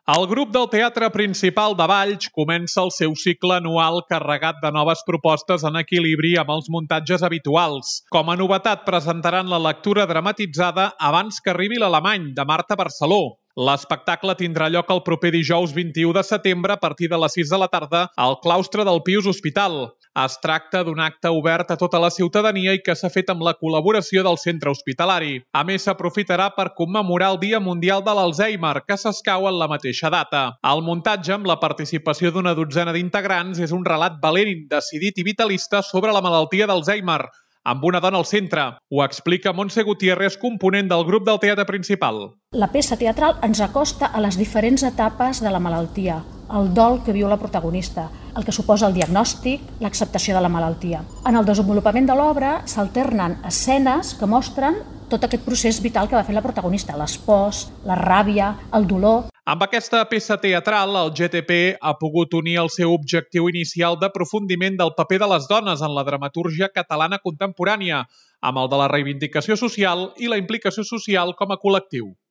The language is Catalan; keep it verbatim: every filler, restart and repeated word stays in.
El grup del Teatre Principal de Valls comença el seu cicle anual carregat de noves propostes en equilibri amb els muntatges habituals. Com a novetat presentaran la lectura dramatitzada Abans que arribi l'alemany, de Marta Barceló. L'espectacle tindrà lloc el proper dijous vint-i-u de setembre a partir de les sis de la tarda al claustre del Pius Hospital. Es tracta d'un acte obert a tota la ciutadania i que s'ha fet amb la col·laboració del centre hospitalari. A més, s'aprofitarà per commemorar el Dia Mundial de l'Alzheimer, que s'escau en la mateixa data. El muntatge, amb la participació d'una dotzena d'integrants, és un relat valent, decidit i vitalista sobre la malaltia d'Alzheimer, amb una dona al centre. Ho explica Montse Gutiérrez, component del grup del Teatre Principal. La peça teatral ens acosta a les diferents etapes de la malaltia, el dol que viu la protagonista, el que suposa el diagnòstic, l'acceptació de la malaltia. En el desenvolupament de l'obra s'alternen escenes que mostren tot aquest procés vital que va fer la protagonista, les pors, la ràbia, el dolor. Amb aquesta peça teatral, el G T P ha pogut unir el seu objectiu inicial d'aprofundiment del paper de les dones en la dramatúrgia catalana contemporània, amb el de la reivindicació social i la implicació social com a col·lectiu.